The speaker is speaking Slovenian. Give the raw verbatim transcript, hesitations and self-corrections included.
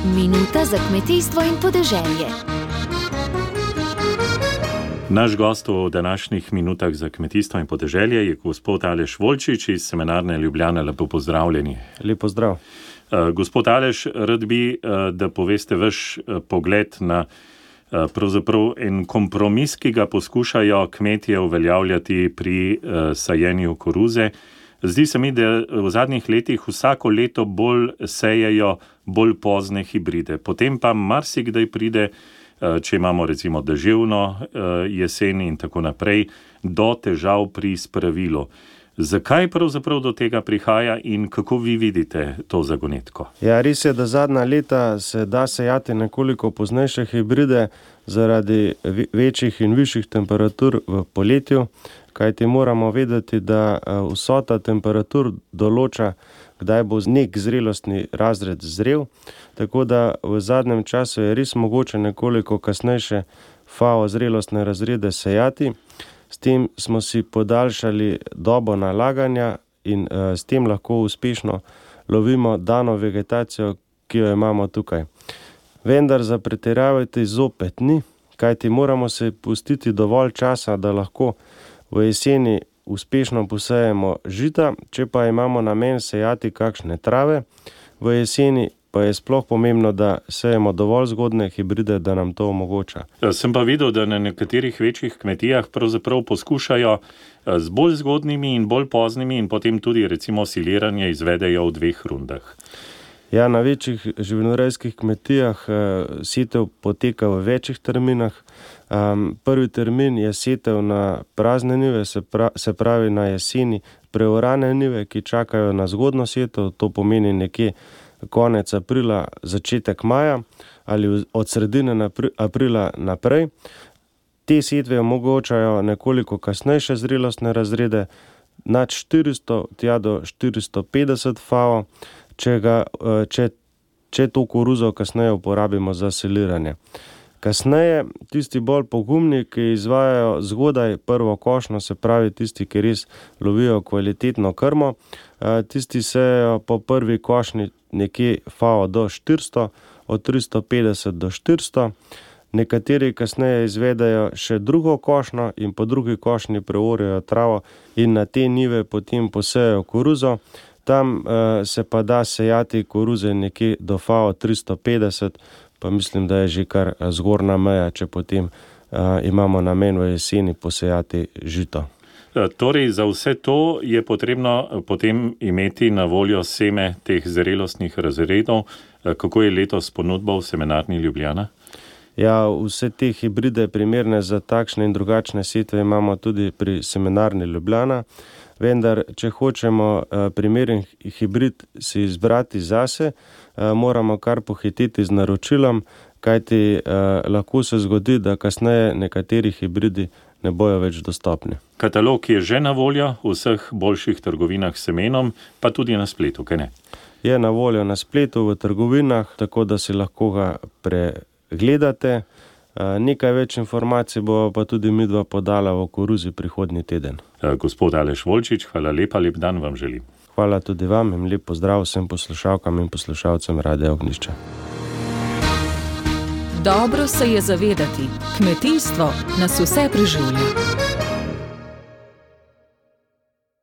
Minuta za kmetijstvo in podeželje. Naš gost v današnjih minutah za kmetijstvo in podeželje je gospod Aleš Volčič iz Semenarne Ljubljana. Lepo pozdravljeni. Lep pozdrav. Uh, gospod Aleš, rad bi, uh, da poveste vaš uh, pogled na uh, pravzaprav en kompromis, ki ga poskušajo kmetje uveljavljati pri uh, sajenju koruze. Zdi se mi, da v zadnjih letih vsako leto bolj sejejo bolj pozne hibride. Potem pa marsikdaj pride, če imamo recimo deževno jesen in tako naprej, do težav pri spravilu. Zakaj pravzaprav do tega prihaja in kako vi vidite to zagonetko? Ja, res je, da zadnja leta se da sejati nekoliko poznejše hibride zaradi večjih in višjih temperatur v poletju, kajti moramo vedeti, da vsota temperatur določa, kdaj bo nek zrelostni razred zrel, tako da v zadnjem času je res mogoče nekoliko kasnejše FAO zrelostne razrede sejati. S tem smo si podaljšali dobo nalaganja in uh, s tem lahko uspešno lovimo dano vegetacijo, ki jo imamo tukaj. Vendar za pretiravati zopet ni, kajti moramo se pustiti dovolj časa, da lahko v jeseni uspešno posejemo žita, če pa imamo namen sejati kakšne trave v jeseni, pa je sploh pomembno, da sejemo dovolj zgodne hibride, da nam to omogoča. Sem pa videl, da na nekaterih večjih kmetijah pravzaprav poskušajo z bolj zgodnimi in bolj poznimi in potem tudi recimo siliranje izvedejo v dveh rundah. Ja, na večjih živinorejskih kmetijah setev poteka v večjih terminah. Um, prvi termin je setev na prazne njive, se, pra, se pravi na jeseni preorane njive, ki čakajo na zgodno setev, to pomeni nekje konec aprila, začetek maja ali od sredine aprila naprej. Te setve omogočajo nekoliko kasnejše zrelostne razrede, nad štiristo tja do štiristo petdeset FAO, če, ga, če, če to koruzo kasneje uporabimo za siliranje. Kasneje tisti bolj pogumni, ki izvajajo zgodaj prvo košnjo, se pravi tisti, ki res lovijo kvalitetno krmo, tisti sejejo po prvi košnji nekje FAO do štiristo, od tristo petdeset do štiristo. Nekateri kasneje izvedajo še drugo košnjo in po drugi košnji preorjajo travo in na te njive potem posejajo koruzo. Tam uh, se pa da sejati koruze nekje do FAO tristo petdeset, pa mislim, da je že kar zgornja meja, če potem uh, imamo namen v jeseni posejati žito. Torej, za vse to je potrebno potem imeti na voljo seme teh zrelostnih razredov. Kako je letos ponudba v Semenarni Ljubljana? Ja, vse te hibride primerne za takšne in drugačne setve imamo tudi pri Semenarni Ljubljana, vendar, če hočemo primeren hibrid si izbrati zase, moramo kar pohititi z naročilom, kajti lahko se zgodi, da kasneje nekateri hibridi ne bojo več dostopni. Katalog je že na voljo v vseh boljših trgovinah s semenom, pa tudi na spletu, kaj ne? Je na voljo na spletu, v trgovinah, tako da si lahko ga pregledate. Nekaj več informacij bo pa tudi midva podala v koruzi prihodnji teden. Gospod Aleš Volčič, hvala lepa, lep dan vam želim. Hvala tudi vam in lep pozdrav vsem poslušalkam in poslušalcem Radia Ognjišče. Dobro se je zavedati, kmetijstvo nas vse preživlja.